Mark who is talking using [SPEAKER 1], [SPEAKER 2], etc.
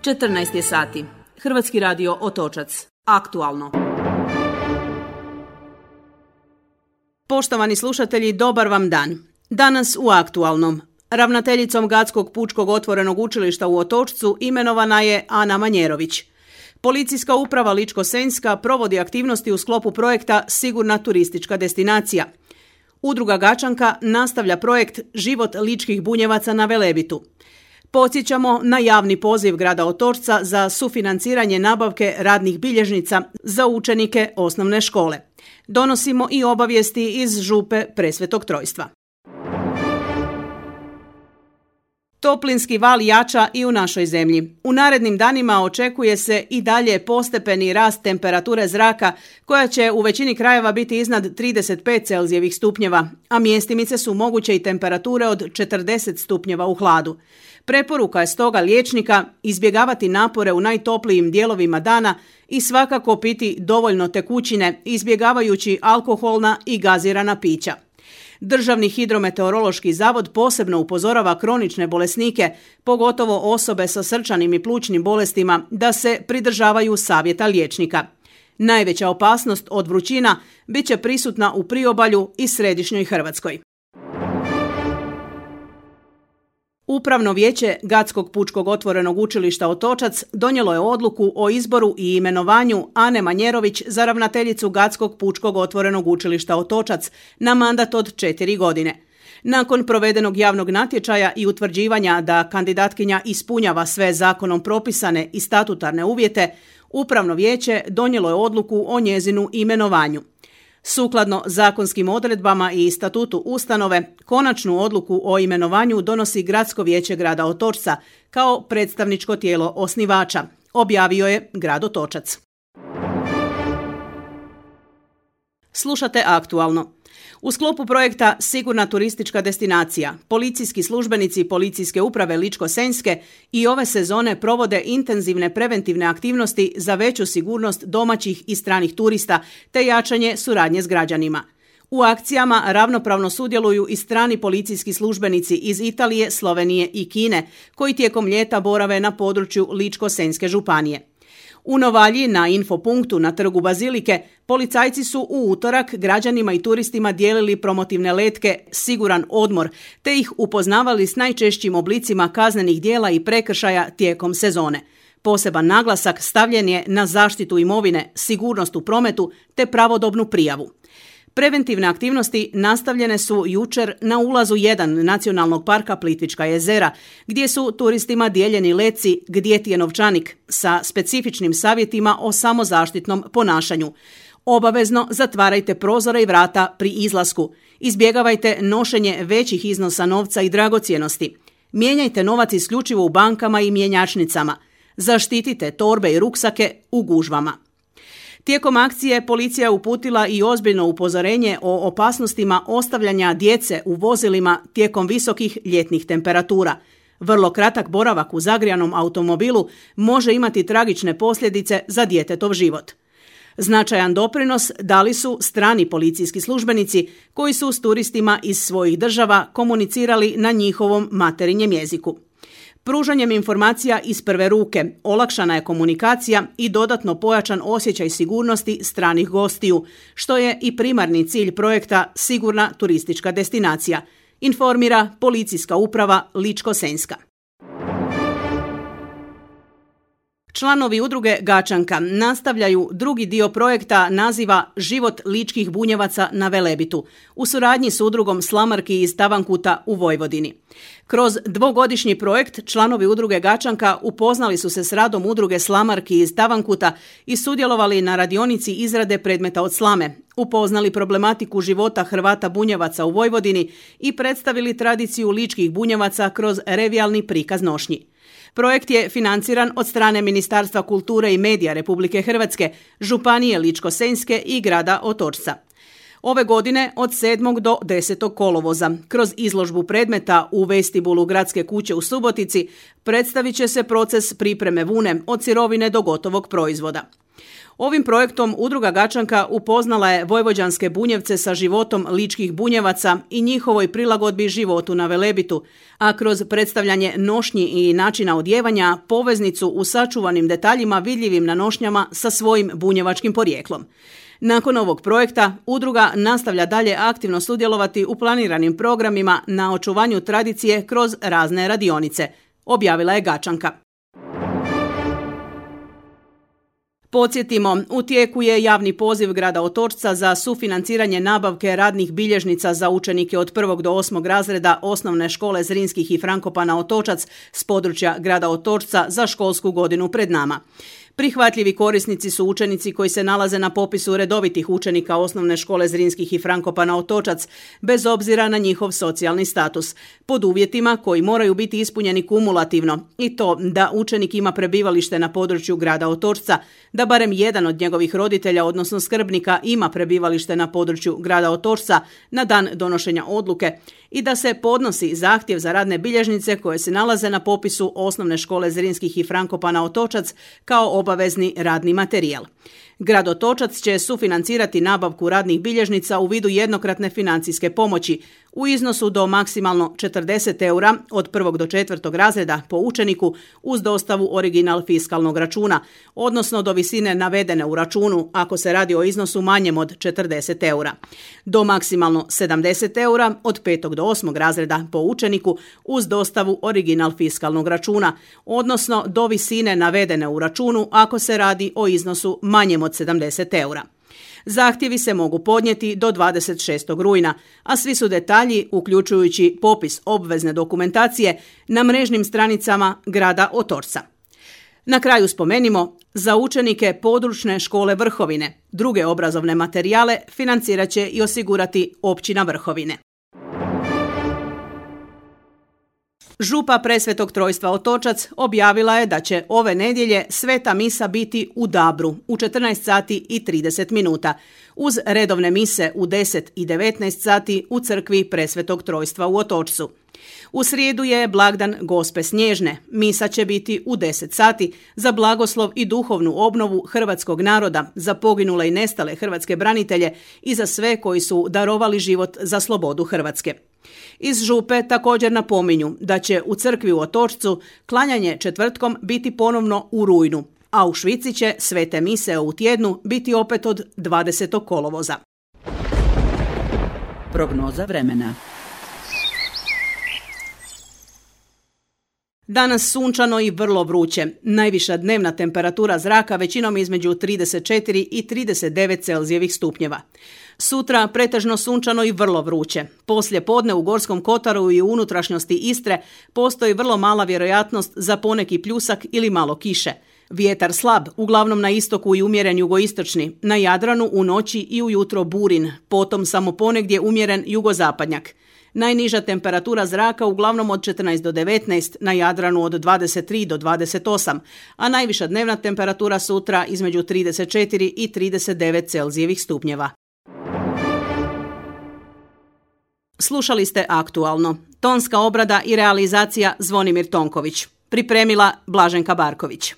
[SPEAKER 1] 14 je sati. Hrvatski radio Otočac. Aktualno. Poštovani slušatelji, dobar vam dan. Danas u Aktualnom. Ravnateljicom Gatskog pučkog otvorenog učilišta u Otočcu imenovana je Ana Manjerović. Policijska uprava Ličko-senjska provodi aktivnosti u sklopu projekta Sigurna turistička destinacija. Udruga Gačanka nastavlja projekt Život ličkih bunjevaca na Velebitu. Podsjećamo na javni poziv grada Otočca za sufinanciranje nabavke radnih bilježnica za učenike osnovne škole. Donosimo i obavijesti iz župe Presvetog Trojstva. Toplinski val jača i u našoj zemlji. U narednim danima očekuje se i dalje postepeni rast temperature zraka koja će u većini krajeva biti iznad 35 Celzijevih stupnjeva, a mjestimice su moguće i temperature od 40 stupnjeva u hladu. Preporuka je stoga liječnika izbjegavati napore u najtoplijim dijelovima dana i svakako piti dovoljno tekućine, izbjegavajući alkoholna i gazirana pića. Državni hidrometeorološki zavod posebno upozorava kronične bolesnike, pogotovo osobe sa srčanim i plućnim bolestima, da se pridržavaju savjeta liječnika. Najveća opasnost od vrućina bit će prisutna u priobalju i središnjoj Hrvatskoj. Upravno vijeće Gatskog pučkog otvorenog učilišta Otočac donijelo je odluku o izboru i imenovanju Ane Manjerović za ravnateljicu Gatskog pučkog otvorenog učilišta Otočac na mandat od 4 godine. Nakon provedenog javnog natječaja i utvrđivanja da kandidatkinja ispunjava sve zakonom propisane i statutarne uvjete, Upravno vijeće donijelo je odluku o njezinu imenovanju. Sukladno zakonskim odredbama i statutu ustanove, konačnu odluku o imenovanju donosi Gradsko vijeće grada Otočca kao predstavničko tijelo osnivača, objavio je grad Otočac. Slušate Aktualno. U sklopu projekta Sigurna turistička destinacija, policijski službenici Policijske uprave Ličko-senjske i ove sezone provode intenzivne preventivne aktivnosti za veću sigurnost domaćih i stranih turista te jačanje suradnje s građanima. U akcijama ravnopravno sudjeluju i strani policijski službenici iz Italije, Slovenije i Kine, koji tijekom ljeta borave na području Ličko-senjske županije. U Novalji na infopunktu na trgu Bazilike policajci su u utorak građanima i turistima dijelili promotivne letke Siguran odmor, te ih upoznavali s najčešćim oblicima kaznenih djela i prekršaja tijekom sezone. Poseban naglasak stavljen je na zaštitu imovine, sigurnost u prometu te pravodobnu prijavu. Preventivne aktivnosti nastavljene su jučer na ulazu 1 Nacionalnog parka Plitvička jezera, gdje su turistima dijeljeni letci Gdje ti je novčanik sa specifičnim savjetima o samozaštitnom ponašanju. Obavezno zatvarajte prozore i vrata pri izlasku. Izbjegavajte nošenje većih iznosa novca i dragocjenosti. Mijenjajte novac isključivo u bankama i mjenjačnicama. Zaštitite torbe i ruksake u gužvama. Tijekom akcije policija je uputila i ozbiljno upozorenje o opasnostima ostavljanja djece u vozilima tijekom visokih ljetnih temperatura. Vrlo kratak boravak u zagrijanom automobilu može imati tragične posljedice za djetetov život. Značajan doprinos dali su strani policijski službenici koji su s turistima iz svojih država komunicirali na njihovom materinjem jeziku. Pružanjem informacija iz prve ruke olakšana je komunikacija i dodatno pojačan osjećaj sigurnosti stranih gostiju, što je i primarni cilj projekta Sigurna turistička destinacija, informira Policijska uprava Ličko-senjska. Članovi udruge Gačanka nastavljaju drugi dio projekta naziva Život ličkih bunjevaca na Velebitu u suradnji s udrugom Slamarki iz Tavankuta u Vojvodini. Kroz dvogodišnji projekt članovi udruge Gačanka upoznali su se s radom udruge Slamarki iz Tavankuta i sudjelovali na radionici izrade predmeta od slame, upoznali problematiku života Hrvata bunjevaca u Vojvodini i predstavili tradiciju ličkih bunjevaca kroz revijalni prikaz nošnji. Projekt je financiran od strane Ministarstva kulture i medija Republike Hrvatske, Županije Ličko-senjske i grada Otočca. Ove godine od 7. do 10. kolovoza kroz izložbu predmeta u vestibulu Gradske kuće u Subotici predstavit će se proces pripreme vune od sirovine do gotovog proizvoda. Ovim projektom Udruga Gačanka upoznala je vojvođanske Bunjevce sa životom ličkih Bunjevaca i njihovoj prilagodbi životu na Velebitu, a kroz predstavljanje nošnji i načina odjevanja poveznicu u sačuvanim detaljima vidljivim na nošnjama sa svojim bunjevačkim porijeklom. Nakon ovog projekta, udruga nastavlja dalje aktivno sudjelovati u planiranim programima na očuvanju tradicije kroz razne radionice, objavila je Gačanka. Podsjetimo, u tijeku je javni poziv grada Otočca za sufinanciranje nabavke radnih bilježnica za učenike od 1. do 8. razreda Osnovne škole Zrinskih i Frankopana Otočac s područja grada Otočca za školsku godinu pred nama. Prihvatljivi korisnici su učenici koji se nalaze na popisu redovitih učenika Osnovne škole Zrinskih i Frankopana Otočac, bez obzira na njihov socijalni status, pod uvjetima koji moraju biti ispunjeni kumulativno, i to da učenik ima prebivalište na području grada Otočca, da barem jedan od njegovih roditelja, odnosno skrbnika, ima prebivalište na području grada Otočca na dan donošenja odluke i da se podnosi zahtjev za radne bilježnice koje se nalaze na popisu Osnovne škole Zrinskih i Frankopana Otočac kao obavezni radni materijal. Grad Otočac će sufinancirati nabavku radnih bilježnica u vidu jednokratne financijske pomoći u iznosu do maksimalno 40 eura od 1. do 4. razreda po učeniku uz dostavu original fiskalnog računa, odnosno do visine navedene u računu ako se radi o iznosu manjem od 40 eura. Do maksimalno 70 eura od 5. do 8. razreda po učeniku uz dostavu original fiskalnog računa, odnosno do visine navedene u računu ako se radi o iznosu manjem od 70 eura. Zahtjevi se mogu podnijeti do 26. rujna, a svi su detalji, uključujući popis obvezne dokumentacije, na mrežnim stranicama grada Otočca. Na kraju spomenimo, za učenike područne škole Vrhovine druge obrazovne materijale financirat će i osigurati općina Vrhovine. Župa Presvetog Trojstva Otočac objavila je da će ove nedjelje sveta misa biti u Dabru u 14 sati i 30 minuta, uz redovne mise u 10 i 19 sati u crkvi Presvetog Trojstva u Otočcu. U srijedu je blagdan Gospe Snježne. Misa će biti u 10 sati za blagoslov i duhovnu obnovu hrvatskog naroda, za poginule i nestale hrvatske branitelje i za sve koji su darovali život za slobodu Hrvatske. Iz župe također napominju da će u crkvi u Otočcu klanjanje četvrtkom biti ponovno u rujnu, a u Švici će svete mise u tjednu biti opet od 20. kolovoza.
[SPEAKER 2] Prognoza vremena.
[SPEAKER 1] Danas sunčano i vrlo vruće. Najviša dnevna temperatura zraka većinom između 34 i 39 Celzijevih stupnjeva. Sutra pretežno sunčano i vrlo vruće. Poslije podne u Gorskom kotaru i u unutrašnjosti Istre postoji vrlo mala vjerojatnost za poneki pljusak ili malo kiše. Vjetar slab, uglavnom na istoku i umjeren jugoistočni, na Jadranu u noći i ujutro burin, potom samo ponegdje umjeren jugozapadnjak. Najniža temperatura zraka uglavnom od 14 do 19, na Jadranu od 23 do 28, a najviša dnevna temperatura sutra između 34 i 39 Celzijevih stupnjeva. Slušali ste Aktualno. Tonska obrada i realizacija Zvonimir Tonković. Pripremila Blaženka Barković.